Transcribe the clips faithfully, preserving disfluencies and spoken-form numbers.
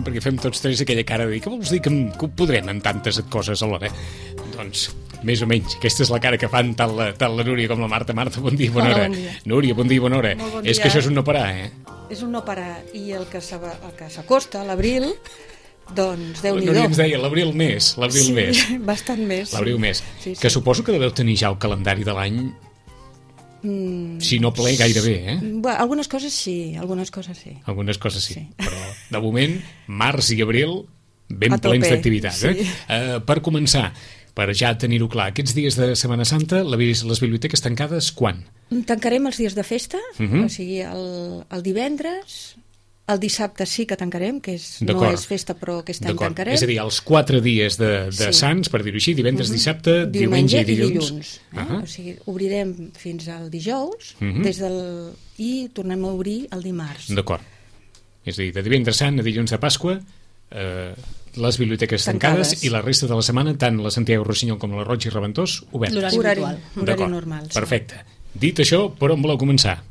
Perquè fem tots tres aquella cara de dir, què vols dir que, que ho podrem en tantes coses alhora? Doncs, més o menys, aquesta és la cara que fan tant la, tant la Núria com la Marta. Marta, bon dia i bona Hola, hora. bon dia. Núria, bon dia i bona hora. Molt bon És dia. que això és un no parar, eh? És un no parar, i el que s'ava- el que s'acosta, l'abril, doncs La Déu-n'hi-do. Núria ens deia l'abril més, l'abril Sí, més. bastant més. L'abril més. Sí, sí. Que suposo que deveu tenir ja el calendari de l'any, Mm, si no ple, gairebé, eh? bueno, algunes coses sí, algunes coses sí. Algunes coses sí, Sí. però de moment, març i abril, ben A tope, plens d'activitat. sí. Eh? Uh, per començar, per ja tenir-ho clar, aquests dies de Setmana Santa, la, les biblioteques tancades, quan? Tancarem els dies de festa, Mhm. o sigui, el, el divendres, el dissabte sí que tancarem, que és, no D'acord. és festa, però aquest any D'acord. tancarem. És a dir, els quatre dies de, de Sí. Sants, per dir-ho així, divendres, Mhm. dissabte, diumenge i dilluns. eh? Uh -huh. O sigui, obrirem fins al dijous, Mhm. des del... i tornem a obrir el dimarts. D'acord. És a dir, de divendres sant a dilluns de Pasqua, eh, les biblioteques tancades, Tancades. i la resta de la setmana, tant la Santiago Rossinyol com la Roig i Reventós, obertes. L'horari Horari, habitual. horari D'acord. normal. sí. Perfecte. Dit això, per on voleu començar?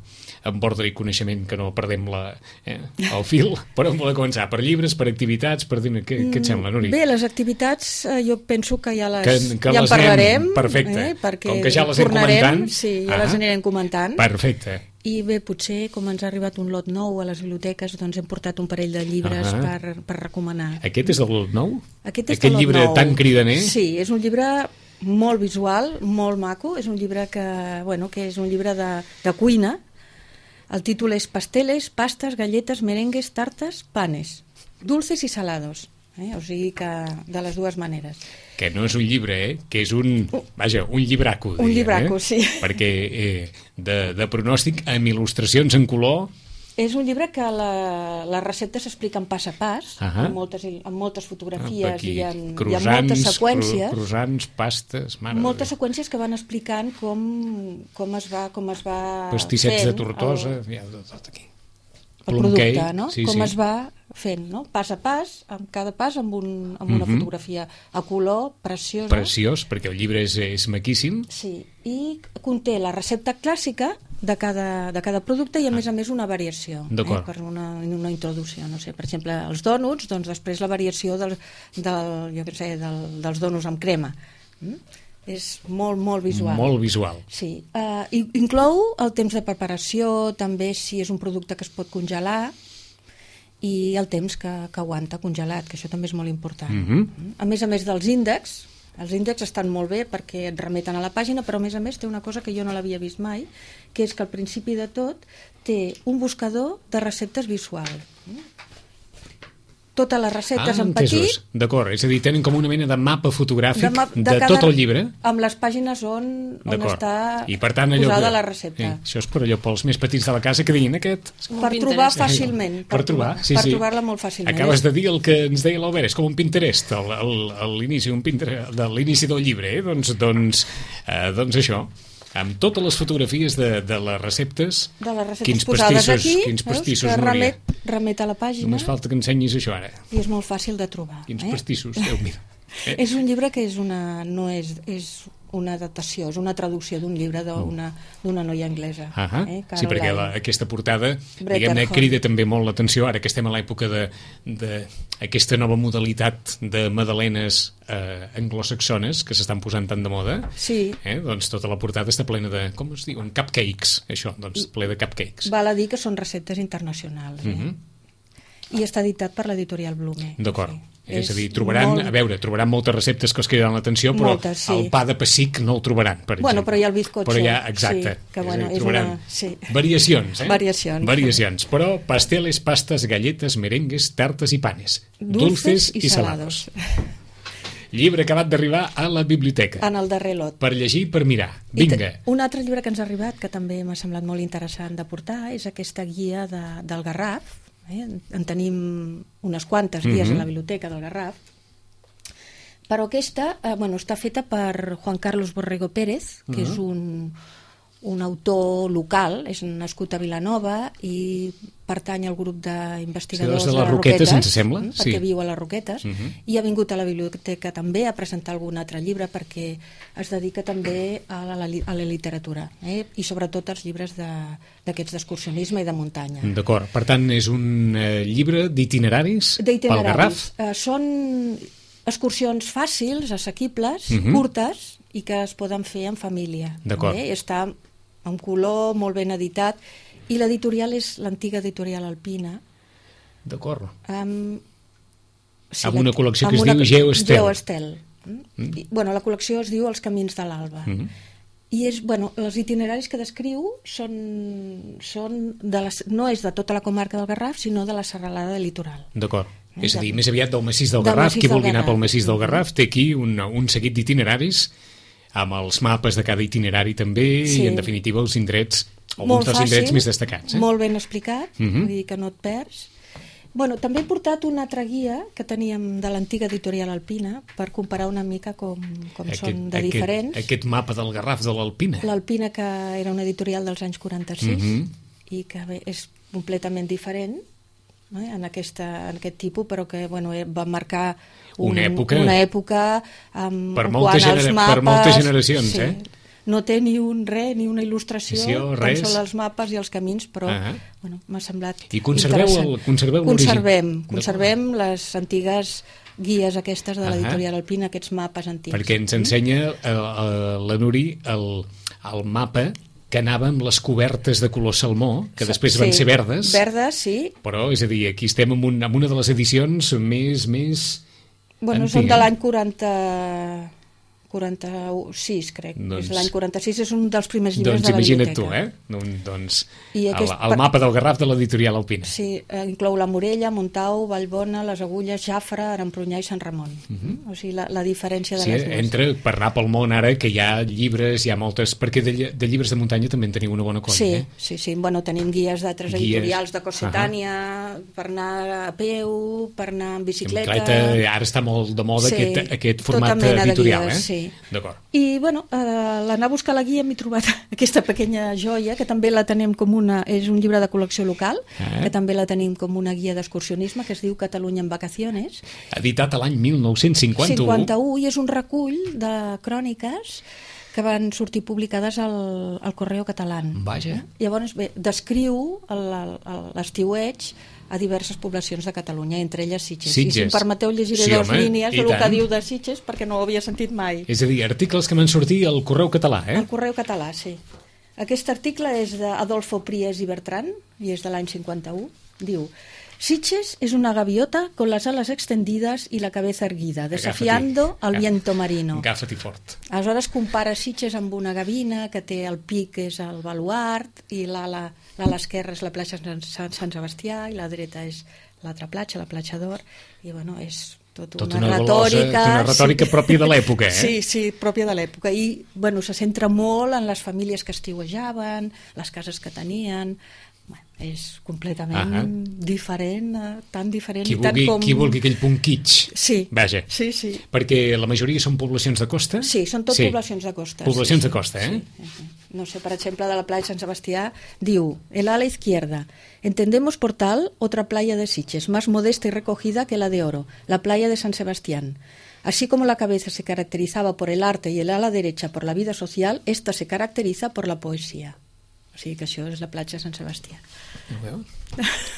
Amb ordre i coneixement, que no perdem la, eh, el fil. Per on voleu començar? Per llibres, per activitats, per dir... Què, què et sembla, Núria? Bé, les activitats eh, jo penso que ja les, Que- que ja en les parlarem, anem- perfecte. eh, perquè Com que ja les hem tornarem, comentant. sí, ja Ah. les anirem comentant. Perfecte. I bé, potser, com ens ha arribat un lot nou a les biblioteques, doncs hem portat un parell de llibres Ah. per, per recomanar. Aquest és del nou? Aquest és Aquest de lot llibre nou. tan cridaner? Sí, és un llibre molt visual, molt maco, és un llibre que, bueno, que és un llibre de, de cuina. El títol és Pasteles, pastes, galletes, merengues, tartes, panes, dulces i salados. Eh? O sigui que de les dues maneres. Que no és un llibre, eh? Que és un... Vaja, un llibraco. Un diríem, llibraco, eh? sí. Perquè eh, de, de pronòstic amb il·lustracions en color... És un llibre que la, les receptes s'expliquen pas a pas, Ahà. amb, moltes, amb moltes fotografies aquí, i, en, i amb croissants, moltes seqüències. cru- croissants, pastes... Mare de Moltes Déu. seqüències que van explicant com, com es va, com es va Pastissets fent de Tortosa... el, Ja, tot, tot aquí. el Plum producte, cake, no? sí, com sí. es va fent, no? Pas a pas, amb cada pas amb, un, amb una Mhm. fotografia a color, preciosa. Preciós, perquè el llibre és, és maquíssim. Sí, i conté la recepta clàssica de cada, de cada producte i a més a més una variació, D'acord. per una, una introducció, no sé, per exemple els dònuts, doncs després la variació del, del, jo què sé, del, dels dònuts amb crema. Mm? És molt, molt visual. Molt visual. Sí, uh, inclou el temps de preparació, també si és un producte que es pot congelar, i el temps que, que aguanta congelat, que això també és molt important. Mhm. A més a més dels índexs, els índexs estan molt bé perquè et remeten a la pàgina, però a més a més té una cosa que jo no l'havia vist mai, que és que al principi de tot té un buscador de receptes visual. Totes les receptes en petit, entesos. D'acord, és a dir, tenen com una mena de mapa fotogràfic de, map- de cada- tot el llibre. amb les pàgines on, on D'acord. està I per tant, allò posada que- la recepta. Eh, això és per allò pels més petits de la casa que diguin aquest. Per Pinterest. trobar fàcilment. Per trobar, sí, per sí. trobar-la molt fàcilment. Acabes de dir el que ens deia l'Albert, és com un Pinterest al- al- a l'inici un Pinterest, de l'inici del llibre, eh? doncs, doncs, eh, doncs això, amb totes les fotografies de, de les receptes, de les receptes quins posades pastissos, aquí, quins veus, pastissos, que Núria. remet, remet a la pàgina Només falta que ensenyis això ara. i és molt fàcil de trobar. Quins eh? pastissos, Déu meu. Eh? És un llibre que és una, no és, és una adaptació, és una traducció d'un llibre d'una d'una noia anglesa. Ah eh? sí, perquè la, Caroline. aquesta portada Bretton diguem-ne Hall. crida també molt l'atenció ara que estem a l'època de, de aquesta nova modalitat de madalenes eh, anglosaxones que s'estan posant tan de moda. Sí, Eh? Doncs tota la portada està plena de, com es diuen, cupcakes, això, doncs ple de cupcakes. val a dir que són receptes internacionals. Eh? Mhm. I està editat per l'editorial Blume. D'acord. Sí. És a dir, trobaran, molt- a veure, trobaran moltes receptes que els cridaran l'atenció, però Moltes, sí. el pa de pessic no el trobaran, per exemple. Bueno, però hi ha el bizcocho. Però hi ha, exacte. Sí, que, És a bueno, dir, és trobaran una- sí. variacions, eh? Variacions. Variacions. Però pasteles, pastes, galletes, merengues, tartes i panes. Dulces Dulces i i salados. Llibre acabat d'arribar a la biblioteca. En el darrer lot. Per llegir, per mirar. I Vinga. te- Un altre llibre que ens ha arribat, que també m'ha semblat molt interessant de portar, és aquesta guia de, del Garraf. Eh? En tenim unes quantes guies Mhm. a la biblioteca del Garraf, Però aquesta eh, bueno, està feta per Juan Carlos Borrego Pérez, que uh -huh. és un, un autor local, és nascut a Vilanova i pertany al grup d'investigadors sí, de, de les les Roquetes, ens sembla, perquè sí. viu a les Roquetes, uh -huh. i ha vingut a la biblioteca també a presentar algun altre llibre perquè es dedica també a la, a la literatura, eh? I sobretot als llibres d'aquests d'excursionisme i de muntanya. D'acord, per tant és un eh, llibre d'itineraris pel Garraf? Eh, són excursions fàcils, assequibles, uh -huh. curtes i que es poden fer en família. D'acord. Eh? Està en color, molt ben editat, i l'editorial és l'antiga editorial Alpina. D'acord. Um, sí, amb una col·lecció que es una, diu Geoestel. Geoestel. Mm. I, bueno, la col·lecció es diu Els camins de l'Alba. Mm -hmm. I és, bueno, els itineraris que descriu són, són de les, no és de tota la comarca del Garraf, sinó de la serralada del litoral. D'acord. Eh? És a dir, més aviat del massís del del Garraf, massís qui del vulgui anar Garraf. pel massís del Garraf té aquí un, un seguit d'itineraris amb els mapes de cada itinerari també, sí. I en definitiva els indrets, alguns dels indrets més destacats. Eh? Molt ben explicat, uh uh-huh. -huh. Vull dir que no et perds. Bueno, també he portat una altra guia que teníem de l'antiga editorial Alpina per comparar una mica com, com aquest, són de aquest, diferents. Aquest mapa del Garraf de l'Alpina. L'Alpina, que era una editorial dels anys quaranta-sis, uh -huh. i que bé, és completament diferent, eh, en, aquesta, en aquest tipus, però que bueno, va marcar un, una època, una època um, per, molta genera, mapes, per moltes generacions, sí. eh? No té ni un res, ni una il·lustració, res. com són els mapes i els camins, però uh -huh. bueno, m'ha semblat I conserveu interessant. El, conserveu conservem, conservem les antigues guies aquestes de l'editorial uh -huh. Alpina, aquests mapes antics. Perquè ens ensenya uh, uh, la Nuri el, el mapa que anava amb les cobertes de color salmó, que després sí, van ser verdes. Verdes, sí. Però, és a dir, aquí estem en, un, en una de les edicions més... més bueno, antiga. Són de l'any quaranta... quaranta-sis, crec. Doncs, l'any quaranta-sis és un dels primers llibres doncs de la biblioteca. Doncs imagina't tu, eh? Doncs aquest, el, el mapa del Garraf de l'editorial Alpina. Sí, eh, inclou la Morella, Montau, Vallbona, les Agulles, Jafre, Arampronyà i Sant Ramon. Uh -huh. O sigui, la, la diferència de sí, les dues. Entre, per anar pel món ara, que hi ha llibres, hi ha moltes... Perquè de, de llibres de muntanya també en teniu una bona colla, sí, eh? Sí, sí, bueno, tenim guies d'altres editorials, de Cossetània, uh -huh. per anar a peu, per anar en bicicleta... En bicicleta, ara està molt de moda sí, aquest, aquest format tota editorial, guies, eh? Sí. D'acord. I, bueno, eh, l'anar a buscar la guia m'he trobat aquesta pequeña joia, que també la tenim com una... És un llibre de col·lecció local, eh? Que també la tenim com una guia d'excursionisme, que es diu Catalunya en vacaciones. Editat a l'any mil nou-cents cinquanta-u. cinquanta-u, i és un recull de cròniques que van sortir publicades al, al Correo Català. Vaja. Llavors, bé, descriu l'estiueig a diverses poblacions de Catalunya, entre elles Sitges. Sitges. I si em permeteu llegiré sí, dues home, línies del que diu de Sitges, perquè no ho havia sentit mai. És a dir, articles que van sortir al Correu Català, eh? Al Correu Català, sí. Aquest article és d'Adolfo Pries i Bertran, i és de l'any cinquanta-u. Diu: Sitges es una gaviota con las alas extendidas y la cabeza erguida, desafiando al viento marino. Agafa-t'hi fort. Aleshores compara Sitges amb una gavina que té el pic, que és el baluart, i l'ala l'ala esquerra és la platja Sant, Sant Sebastià i la dreta és l'altra platja, la platja d'Or, i bueno, és tot, tot una, una retòrica... Golosa, una retòrica sí. pròpia de l'època, eh? Sí, sí, pròpia de l'època. I, bueno, se centra molt en les famílies que estiuejaven, les cases que tenien... Bueno, és completament uh -huh. diferent, eh, tan diferent qui i tant vulgui, com... Qui vulgui aquell punt kitsch. Sí, vaja. sí, sí. Perquè la majoria són poblacions de costa? Sí, són tot sí. poblacions de costa. Poblacions sí, de costa, sí, eh? Sí. No sé, per exemple, de la playa de Sant Sebastià, diu: el ala izquierda. Entendemos por tal otra playa de Sitges, más modesta y recogida que la de Oro, la playa de San Sebastián. Así como la cabeza se caracterizaba por el arte y el ala derecha por la vida social, esta se caracteriza por la poesía. O sigui que això és la platja de Sant Sebastià.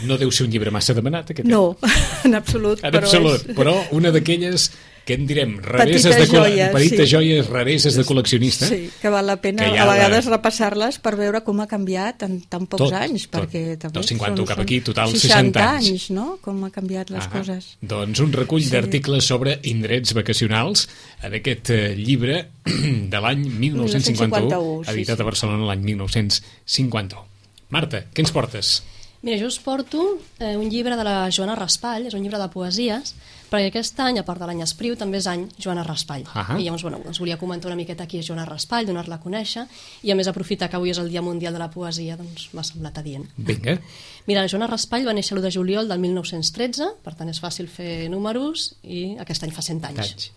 No deu ser un llibre massa demanat, aquest. No, en absolut. En però absolut, és... però una d'aquelles que en direm rareses petites de joies, petites sí. joies rareses de col·leccionista. Sí, que val la pena a vegades la... repassar-les per veure com ha canviat en tan pocs tot, anys, tot. perquè també Del cinquanta són, cap aquí, total seixanta, seixanta anys. anys, no? Com ha canviat les ah, coses. Doncs un recull sí. d'articles sobre indrets vacacionals en aquest eh, llibre de l'any mil nou-cents cinquanta-u, editat sí, sí. a Barcelona l'any mil nou-cents cinquanta-u. Marta, què ens portes? Mira, jo us porto eh, un llibre de la Joana Raspall, és un llibre de poesies, perquè aquest any, a part de l'any Espriu, també és any Joana Raspall. Uh-huh. I llavors, bueno, us volia comentar una miqueta qui és Joana Raspall, donar-la a conèixer, i a més aprofitar que avui és el Dia Mundial de la Poesia, doncs m'ha semblat adient. Vinga. Mira, la Joana Raspall va néixer l'u de juliol del mil nou-cents tretze, per tant és fàcil fer números, i aquest any fa cent anys. Anys.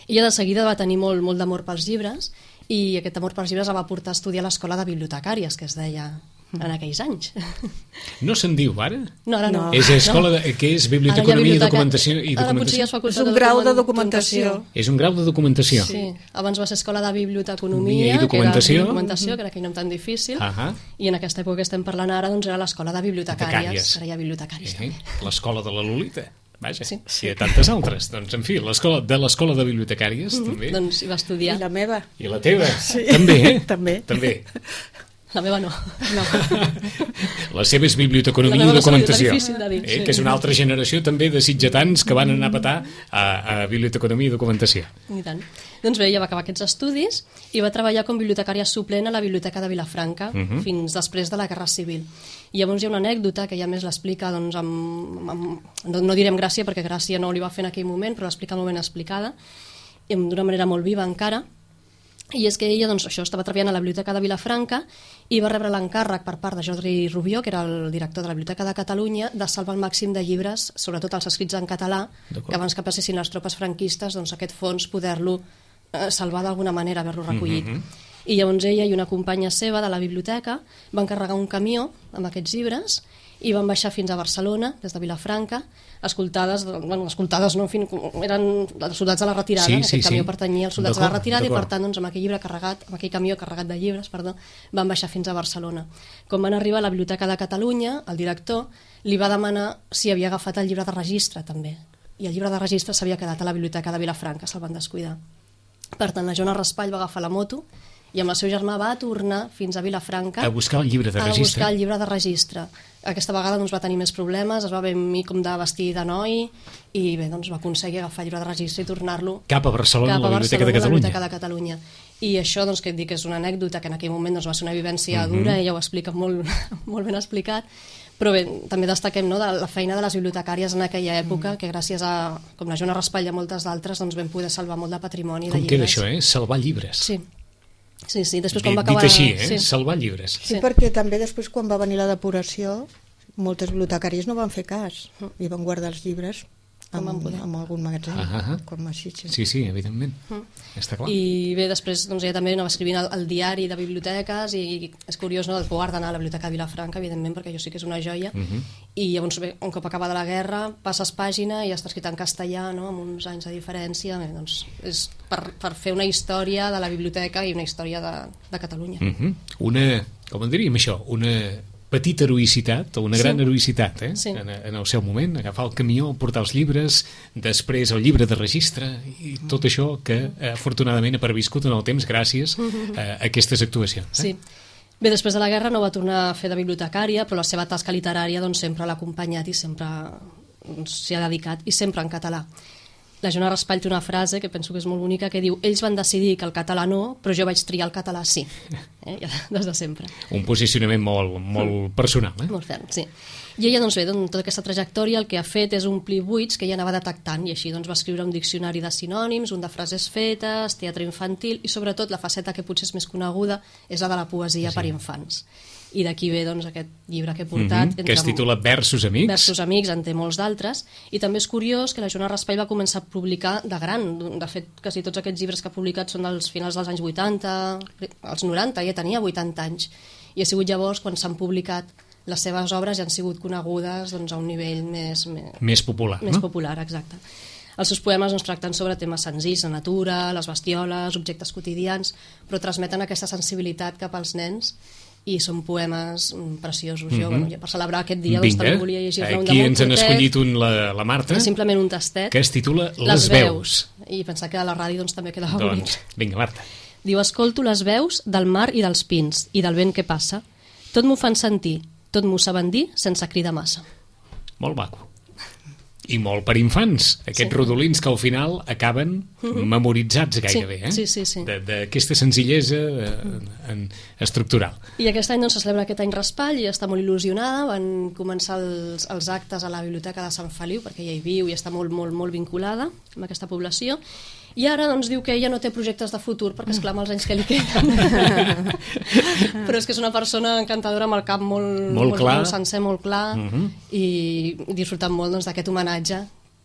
Ella de seguida va tenir molt, molt d'amor pels llibres i aquest amor pels llibres la va portar a estudiar a l'escola de bibliotecàries, que es deia en aquells anys. No se'n diu, ara? No, ara no. És escola de, que és Biblioteconomia i Documentació. I Ara potser ja és facultat És un grau de documentació. És un grau de documentació. Sí, abans va ser escola de Biblioteconomia i Documentació, que era documentació, que era aquell nom tan difícil, uh -huh. i en aquesta època que estem parlant ara doncs era l'escola de bibliotecàries. Ara hi ha bibliotecàries. Eh? L'escola de la Lolita. Vaja, sí. I de tantes altres. Doncs, en fi, l'escola de l'escola de bibliotecàries, mm -hmm. també. Doncs hi va estudiar. I la meva. I la teva. Sí. També, eh? també. També. La meva no. no. La seva és Biblioteconomia i Documentació, eh? Que és una altra generació també de sitgetans que van anar a petar a, a Biblioteconomia i Documentació. I tant. Doncs bé, ella va acabar aquests estudis i va treballar com bibliotecària suplent a la Biblioteca de Vilafranca uh -huh. fins després de la Guerra Civil. I llavors hi ha una anècdota que ella més l'explica, doncs, amb, amb, no, no direm gràcia perquè gràcia no li va fer en aquell moment, però l'explica molt ben explicada, d'una manera molt viva encara. I és que ella, doncs, això, estava treballant a la Biblioteca de Vilafranca i va rebre l'encàrrec per part de Jordi Rubió, que era el director de la Biblioteca de Catalunya, de salvar el màxim de llibres, sobretot els escrits en català, que abans que passessin les tropes franquistes, doncs aquest fons poder-lo eh, salvar d'alguna manera, haver-lo recollit. Mm-hmm. I llavors ella i una companya seva de la biblioteca van carregar un camió amb aquests llibres i van baixar fins a Barcelona, des de Vilafranca, escoltades, bueno, escoltades no, en fi, eren els soldats de la retirada, sí, aquest sí, camió sí. pertanyia als soldats de la retirada i per tant doncs, amb aquell llibre carregat, amb aquell camió carregat de llibres, perdó, van baixar fins a Barcelona. Quan van arribar a la Biblioteca de Catalunya, el director li va demanar si havia agafat el llibre de registre també, i el llibre de registre s'havia quedat a la Biblioteca de Vilafranca, se'l van descuidar. Per tant, la Joana Raspall va agafar la moto i amb el seu germà va tornar fins a Vilafranca a buscar el llibre de registre. A buscar el llibre de registre. Aquesta vegada doncs, va tenir més problemes, es va venir com de vestir de noi i bé, doncs, va aconseguir agafar el llibre de registre i tornar-lo cap a Barcelona, cap a a la Biblioteca de Catalunya. La Biblioteca de Catalunya. I això, doncs, que et dic, és una anècdota que en aquell moment doncs, va ser una vivència uh -huh. dura, ella ho explica molt, molt ben explicat, però bé, també destaquem no, de la feina de les bibliotecàries en aquella època, mm. que gràcies a, com la Joana Raspall i a moltes d'altres, doncs vam poder salvar molt de patrimoni com de llibres. Com queda això, eh? Salvar llibres. Sí. Sí, sí, després quan dit, va acabar... Dit així, eh? Sí. Salvar llibres. Sí, sí, perquè també després quan va venir la depuració, moltes bibliotecàries no van fer cas i van guardar els llibres amb, amb algun magatzem, uh -huh. com així. Sí, sí, sí evidentment, uh -huh. està clar. I bé, després doncs, ella també anava escrivint el, el diari de biblioteques i és curiós, no?, el que guarda anar a la Biblioteca de Vilafranca, evidentment, perquè jo sí que és una joia, uh -huh. i llavors bé, un cop acabada la guerra, passes pàgina i ja està escrit en castellà, no?, amb uns anys de diferència, bé, doncs és per, per fer una història de la biblioteca i una història de, de Catalunya. Uh -huh. Una, com en diríem això, una petita heroïcitat, o una gran sí. heroïcitat, eh? Sí. En, en el seu moment, agafar el camió, portar els llibres, després el llibre de registre, i tot això que, afortunadament, ha perviscut en el temps gràcies a aquestes actuacions. Eh? Sí. Bé, després de la guerra no va tornar a fer de bibliotecària, però la seva tasca literària doncs, sempre l'ha acompanyat i sempre doncs, s'hi ha dedicat, i sempre en català. La Joana Raspall té una frase que penso que és molt bonica que diu: ells van decidir que el català no, però jo vaig triar el català sí. Eh? Ja, des de sempre. Un posicionament molt, molt personal. Eh? Molt ferm, sí. I ella, doncs bé, doncs, tota aquesta trajectòria el que ha fet és omplir buits que ella anava detectant, i així doncs, va escriure un diccionari de sinònims, un de frases fetes, teatre infantil, i sobretot la faceta que potser és més coneguda és la de la poesia sí. per infants. I d'aquí ve doncs, aquest llibre que he portat. Mm-hmm, que es titula Versos Amics. Versos Amics, en té molts d'altres. I també és curiós que la Joana Raspall va començar a publicar de gran. De fet, quasi tots aquests llibres que ha publicat són dels finals dels anys vuitanta, als noranta, ja tenia vuitanta anys. I ha sigut llavors quan s'han publicat les seves obres i han sigut conegudes doncs, a un nivell més... Més, més popular, Més no? popular, exacte. Els seus poemes doncs, tracten sobre temes senzills, la natura, les bestioles, objectes quotidians, però transmeten aquesta sensibilitat cap als nens i són poemes preciosos. Jo, mm-hmm. bueno, per celebrar aquest dia doncs, també volia llegir-ne un de aquí molt ens han curtet, escollit un, la, la Marta, simplement un tastet, que es titula Les, les veus. veus. I pensar que a la ràdio doncs, també quedava doncs, bonic. Vinga, Marta. Diu: escolto les veus del mar i dels pins i del vent que passa. Tot m'ho fan sentir, tot m'ho saben dir sense cridar massa. Molt maco. I molt per infants, aquests sí. rodolins que al final acaben uh-huh. memoritzats gairebé, sí. eh? Sí, sí, sí. D'aquesta senzillesa uh, en, estructural. I aquest any doncs, se celebra aquest any Raspall i està molt il·lusionada. Van començar els, els actes a la Biblioteca de Sant Feliu, perquè ella hi viu i està molt, molt, molt vinculada amb aquesta població. I ara doncs, diu que ella no té projectes de futur perquè esclar els anys que li queden. Però és que és una persona encantadora amb el cap molt, molt, molt, clar. molt sencer, molt clar, uh-huh. i disfrutant molt doncs, d'aquest homenatge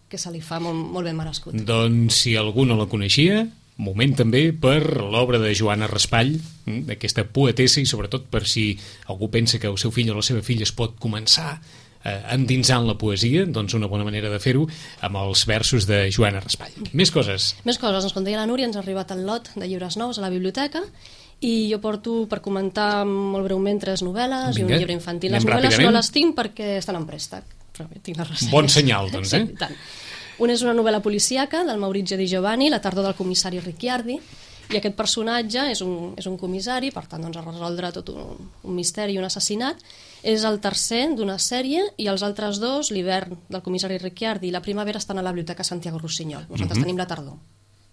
que se li fa molt, molt ben merescut. Doncs si algú no la coneixia, moment també per l'obra de Joana Raspall, d'aquesta poetessa, i sobretot per si algú pensa que el seu fill o la seva filla es pot començar eh, endinsant la poesia, doncs una bona manera de fer-ho amb els versos de Joana Raspall. Més coses. Més coses, ens com deia la Núria, ens ha arribat el lot de llibres nous a la biblioteca i jo porto per comentar molt breument tres novel·les. Vinga, i un llibre infantil. Les novel·les ràpidament. No les tinc perquè estan en préstec, però tinc les resenyes. Bon senyal, doncs, eh? Sí, tant. Una és una novel·la policíaca del Maurizio Di Giovanni, La tardor del comissari Ricciardi, i aquest personatge és un, és un comissari, per tant doncs, a resoldre tot un, un misteri i un assassinat. És el tercer d'una sèrie i els altres dos, l'hivern del comissari Ricciardi i la primavera, estan a la biblioteca Santiago Rossinyol. Nosaltres mm-hmm. tenim la tardor.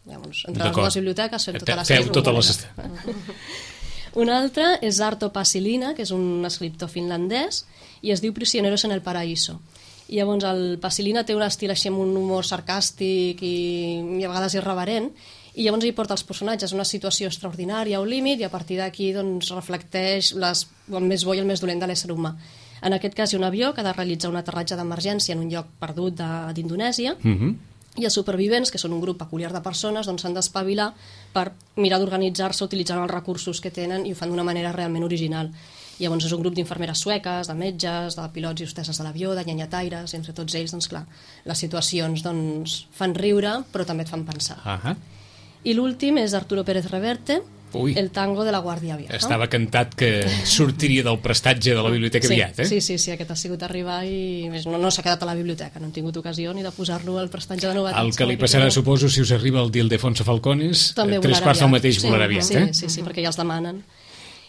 Llavors, entre les dues biblioteques fem tota la sèrie. Feu tota la sèrie. Una altra és Arto Pasilina, que és un escriptor finlandès, i es diu Prisioneros en el Paraíso. I llavors el Pasilina té un estil així amb un humor sarcàstic i, i a vegades irreverent, i llavors hi porta els personatges a una situació extraordinària o límit, i a partir d'aquí doncs, reflecteix les, el més bo i el més dolent de l'ésser humà. En aquest cas hi ha un avió que ha de realitzar un aterratge d'emergència en un lloc perdut d'Indonèsia, mm-hmm. i els supervivents, que són un grup peculiar de persones, doncs s'han d'espavilar per mirar d'organitzar-se utilitzant els recursos que tenen, i ho fan d'una manera realment original. Llavors és un grup d'infermeres sueques, de metges, de pilots i hostesses de l'avió, de nyanyataires, entre tots ells, doncs clar, les situacions doncs, fan riure, però també et fan pensar. Uh-huh. I l'últim és Arturo Pérez Reverte, Ui. El tango de la Guàrdia Vieja. Estava cantat que sortiria del prestatge de la biblioteca sí, aviat, eh? Sí, sí, sí, aquest ha sigut arribar i no, no s'ha quedat a la biblioteca, no hem tingut ocasió ni de posar-lo al prestatge de novetats. El que li passarà, que suposo, si us arriba el d'Ildefonso Falcones, tres quarts del mateix sí, volarà aviat, sí, eh? Sí, sí, perquè ja els demanen.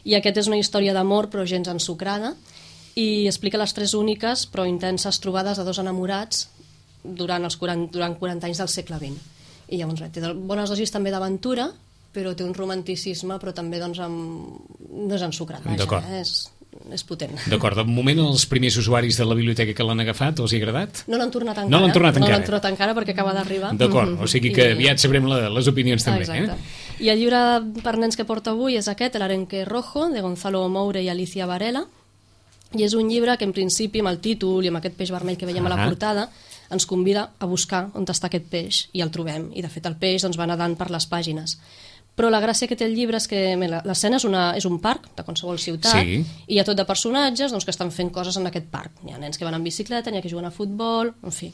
I aquest és una història d'amor, però gens ensucrada, i explica les tres úniques però intenses trobades de dos enamorats durant els quaranta, durant quaranta anys del segle vint. I llavors té bones dosis també d'aventura, però té un romanticisme, però també doncs, amb... no és ensucrat, vaja, eh? és, és potent. D'acord, de moment els primers usuaris de la biblioteca que l'han agafat, els hi ha agradat? No l'han tornat encara, no l'han tornat, no l'han tornat encara perquè acaba d'arribar. D'acord, o sigui que aviat sabrem la, les opinions també. Exacte. Eh? I el llibre per nens que porta avui és aquest, El arenque rojo, de Gonzalo Moure i Alicia Varela, i és un llibre que en principi amb el títol i amb aquest peix vermell que veiem ah. a la portada ens convida a buscar on està aquest peix, i el trobem, i de fet el peix doncs, va nedant per les pàgines. Però la gràcia que té el llibre és que l'escena és, una, és un parc de qualsevol ciutat, sí. i hi ha tot de personatges doncs, que estan fent coses en aquest parc. Hi ha nens que van en bicicleta, n'hi ha que juguen a futbol, en fi.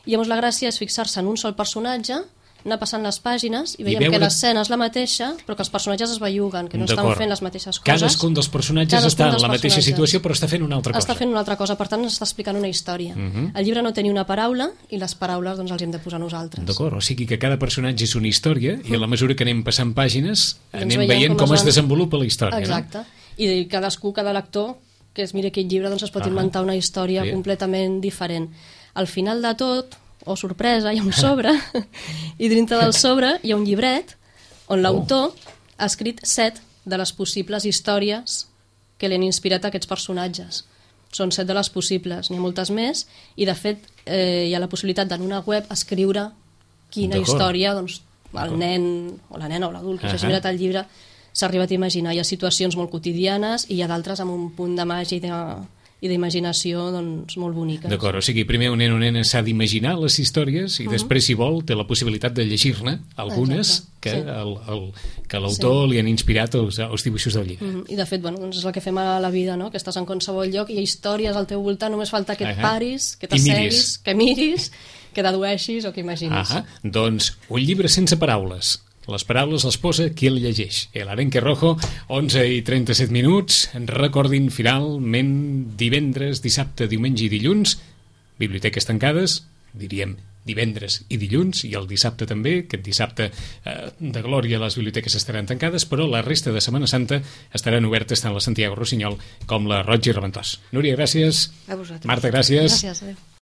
I llavors la gràcia és fixar-se en un sol personatge, anar passant les pàgines i veiem I que l'escena és la mateixa, però que els personatges es belluguen, que no estan fent les mateixes coses. Cadascun dels personatges Cadascun està en la mateixa situació, però està fent una altra cosa. Està fent una altra cosa, per tant ens està explicant una història. Uh-huh. El llibre no té ni una paraula, i les paraules doncs, els hem de posar nosaltres. D'acord, o sigui que cada personatge és una història, uh-huh. i a la mesura que anem passant pàgines, anem veient, veient com, com es, es desenvolupa la història. Exacte, no? I cadascú, cada lector que es miri aquest llibre, doncs es pot uh-huh. inventar una història sí. completament diferent. Al final de tot, o sorpresa, hi ha un sobre, i dintre del sobre hi ha un llibret on l'autor oh. ha escrit set de les possibles històries que li han inspirat a aquests personatges. Són set de les possibles, n'hi ha moltes més, i de fet eh, hi ha la possibilitat en una web escriure quina història doncs, el nen o la nena o l'adult que uh-huh. s'ha mirat el llibre s'ha arribat a imaginar. Hi ha situacions molt quotidianes i hi ha d'altres amb un punt de màgia i de... i d'imaginació doncs, molt boniques. D'acord, o sigui, primer un nen o nena s'ha d'imaginar les històries i uh-huh. després, si vol, té la possibilitat de llegir-ne algunes Exacte. que, sí. el, el, que l'autor sí. li han inspirat els, els dibuixos del llibre. Uh-huh. I de fet, bueno, doncs és el que fem a la vida, no? Que estàs en qualsevol lloc i hi ha històries al teu voltant, només falta que et uh-huh. paris, que t'asseguis, que miris, que dedueixis o que imaginis. Uh-huh. Doncs un llibre sense paraules. Les paraules les posa qui el llegeix. El arenque rojo, onze i trenta-set minuts. Recordin, finalment, divendres, dissabte, diumenge i dilluns, biblioteques tancades, diríem divendres i dilluns, i el dissabte també. Aquest dissabte eh, de glòria les biblioteques estaran tancades, però la resta de Setmana Santa estaran obertes tant la Santiago Rossinyol com la Roig i Reventós. Núria, gràcies. A vosaltres. Marta, gràcies. Gràcies, adéu.